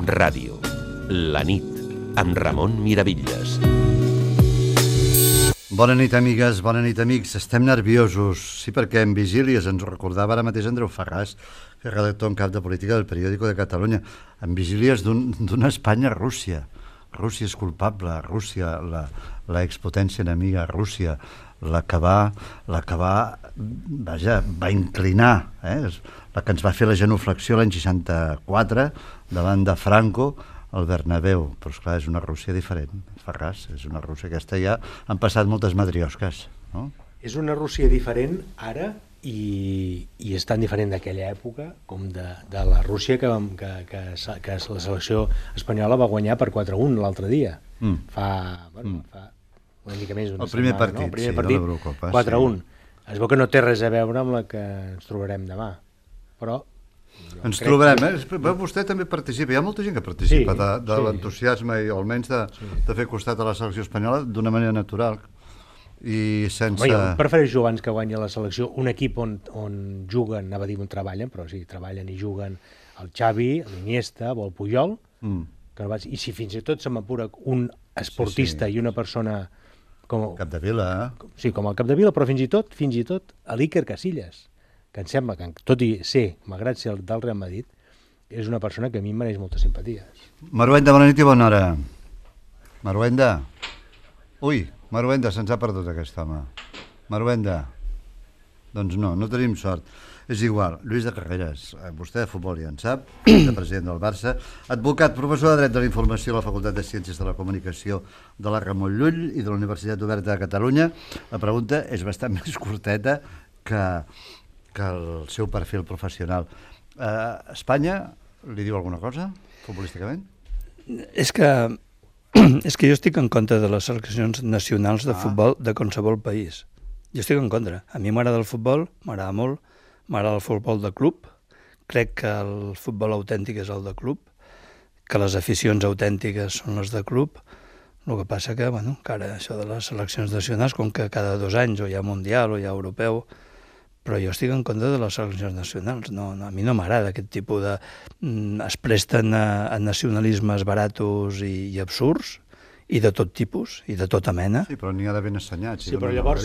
Ràdio. La nit, amb Ramon Miravitlles. Bona nit, amigues, bona nit, amics. Estem nerviosos, sí, perquè en vigílies ens ho recordava ara mateix Andreu Ferràs, que és redactor en cap de política del Periódico de Catalunya, en vigílies d'una Espanya-Rússia. Rússia és culpable, Rússia, la expotència enemiga, Rússia, la que va inclinar, la que ens va fer la genuflexió l'any 64 davant de Franco al Bernabéu. Però esclar, és una Rússia diferent, Ferràs, és una Rússia aquesta ja han passat moltes matriosques, no? És una Rússia diferent ara i és tan diferent d'aquella època com de la Rússia que la selecció espanyola va guanyar per 4-1 l'altre dia. Fa una mica més d'una setmana. El primer partit, no? de l'Eurocopa. 4-1. Es veu que no té res a veure amb la que ens trobarem demà, però... Ens trobarem, vostè també participa, hi ha molta gent que participa de l'entusiasme o almenys de fer costat a la selecció espanyola d'una manera natural i sense... Jo prefereixo abans que guanyi la selecció un equip on juguen, anava a dir on treballen, però sí, treballen i juguen el Xavi, l'Iniesta o el Puyol, i si fins i tot se m'apura un esportista i una persona com... Capdevila, Sí, com el Capdevila, però fins i tot a l'Iker Casillas, que em sembla que, tot i ser, malgrat ser del Real Madrid, és una persona que a mi em mereix moltes simpaties. Maruenda, bona nit i bona hora. Maruenda. Ui, Maruenda, se'ns ha perdut aquest home. Maruenda. Doncs no tenim sort. És igual, Lluís de Carreras, vostè de futbol ja en sap, de president del Barça, advocat, professor de Dret de la Informació a la Facultat de Ciències de la Comunicació de la Ramon Llull i de la Universitat Oberta de Catalunya. La pregunta és bastant més curteta que el seu perfil professional. Espanya li diu alguna cosa, futbolísticament? És que jo estic en contra de les seleccions nacionals de futbol de qualsevol país. Jo estic en contra. A mi m'agrada el futbol, m'agrada molt, m'agrada el futbol de club, crec que el futbol autèntic és el de club, que les aficions autèntiques són les de club. El que passa que, que ara això de les seleccions nacionals, com que cada 2 anys o hi ha mundial o hi ha europeu, però jo estic en contra de les seleccions nacionals. A mi no m'agrada aquest tipus de... Es presten a nacionalismes baratos i absurds, i de tot tipus, i de tota mena. Sí, però n'hi ha de ben assenyats. Sí, però llavors...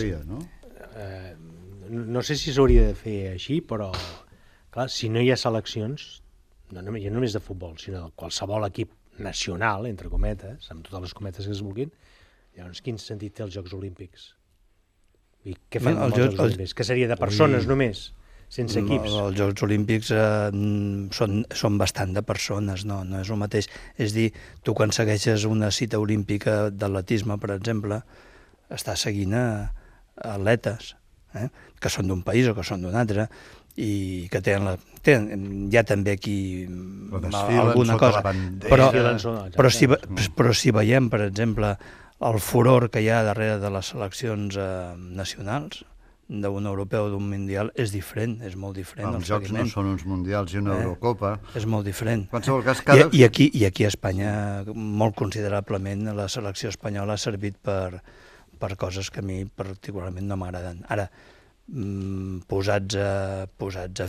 No sé si s'hauria de fer així, però, clar, si no hi ha seleccions, no només de futbol, sinó de qualsevol equip nacional, entre cometes, amb totes les cometes que es vulguin, llavors quin sentit té els Jocs Olímpics? I què fem amb els Jocs Olímpics? Que seria de persones només, sense equips? Els Jocs Olímpics són bastant de persones, no és el mateix. És dir, tu quan segueixes una cita olímpica d'atletisme, per exemple, estàs seguint atletes, que són d'un país o que són d'un altre, i que hi ha també aquí alguna cosa. Però si veiem, per exemple, el furor que hi ha darrere de les seleccions nacionals, d'un europeu o d'un mundial, és diferent, és molt diferent. Els jocs no són uns mundials i una Eurocopa. És molt diferent. I aquí a Espanya, molt considerablement, la selecció espanyola ha servit per coses que a mi particularment no m'agraden. Ara, posats a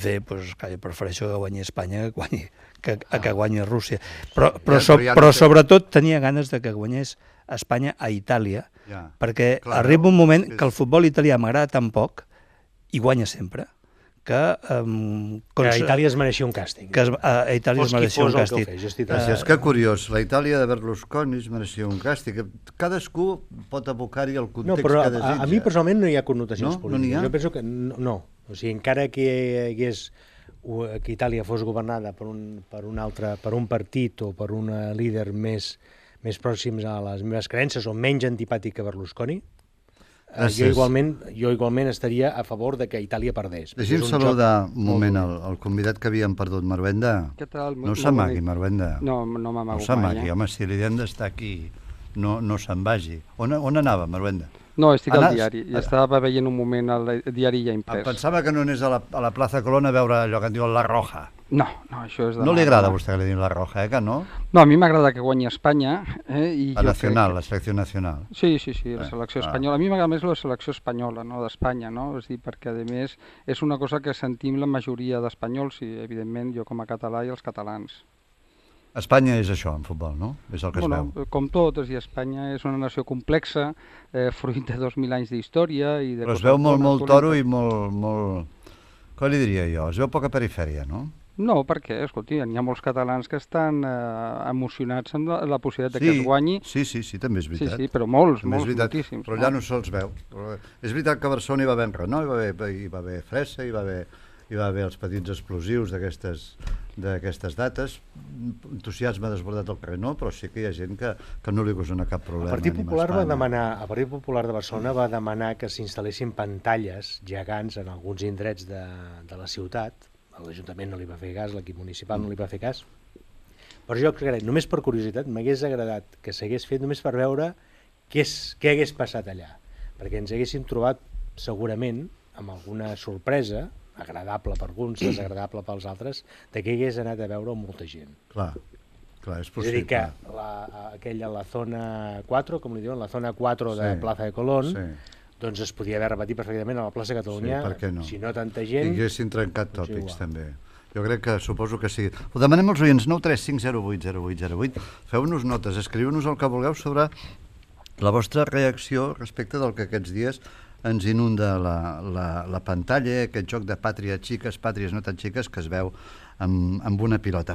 fer, jo prefereixo que guanyi Espanya que guanyi Rússia. Però sobretot tenia ganes de que guanyés Espanya a Itàlia, perquè arriba un moment que el futbol italià m'agrada tan poc, i guanya sempre, que Itàlia es mereixia un càstig. A Itàlia es mereixia un càstig. És que curiós, la Itàlia de Berlusconi es mereixia un càstig. Cadascú pot abocar-hi el context que desitja. A mi personalment no hi ha connotacions polítiques. Jo penso que no. O sigui, encara que Itàlia fos governada per un partit o per un líder més pròxims a les meves creences o menys antipàtic que Berlusconi, jo igualment estaria a favor de que Itàlia perdés. Deixi'm saludar un moment el convidat que havíem perdut, Maruenda. Què tal? No s'amagui, Maruenda. No m'amago mai. No s'amagui, home, si li hem d'estar aquí, no se'n vagi. On anava, Maruenda? No, estic al diari. Estava veient un moment el diari ja imprès. Pensava que no anés a la plaça Colón a veure allò que en diuen la Roja. No, això és de... No li agrada a vostè que li diguin la Roja, que no? No, a mi m'agrada que guanyi Espanya. La selecció nacional. Sí, la selecció espanyola. A mi m'agrada més la selecció espanyola, no, d'Espanya, no? És dir, perquè, a més, és una cosa que sentim la majoria d'espanyols i, evidentment, jo com a català i els catalans. Espanya és això, en futbol, no? És el que es veu. Com tot, és a dir, Espanya és una nació complexa, fruit de 2.000 anys d'història i de Però es coses veu molt bones, toro i dolentes. molt... Com li diria jo? Es veu poca perifèria, no? No, perquè, escolti, hi ha molts catalans que estan emocionats amb la possibilitat de que es guanyi. Sí, també és veritat. Sí, però molts, També és veritat, moltíssims. però allà no se'ls veu. Però és veritat que a Barcelona hi va haver enrenou, hi va haver fressa, hi va haver els petits explosius d'aquestes dates, entusiasme desbordat al carrer, no, però sí que hi ha gent que no li ocasiona cap problema. El Partit Popular de Barcelona va demanar que s'instal·lessin pantalles gegants en alguns indrets de la ciutat. L'Ajuntament no li va fer cas, l'equip municipal no li va fer cas. Però jo crec, només per curiositat, m'hagués agradat que s'hagués fet només per veure què hagués passat allà. Perquè ens haguéssim trobat segurament amb alguna sorpresa, agradable per alguns, desagradable pels altres, de què hagués anat a veure molta gent. Clar, és possible. És a dir, que aquella, la zona 4, com li diuen, la zona 4 de Plaza de Colón, doncs es podia haver repetit perfectament a la plaça Catalunya, si no tanta gent... I haguessin trencat tòpics, també. Jo crec que, suposo que sí. Ho demanem als oients, 935080808. Feu-nos notes, escriu-nos el que vulgueu sobre la vostra reacció respecte del que aquests dies ens inunda la pantalla, aquest joc de pàtries xiques, pàtries no tan xiques, que es veu amb una pilota.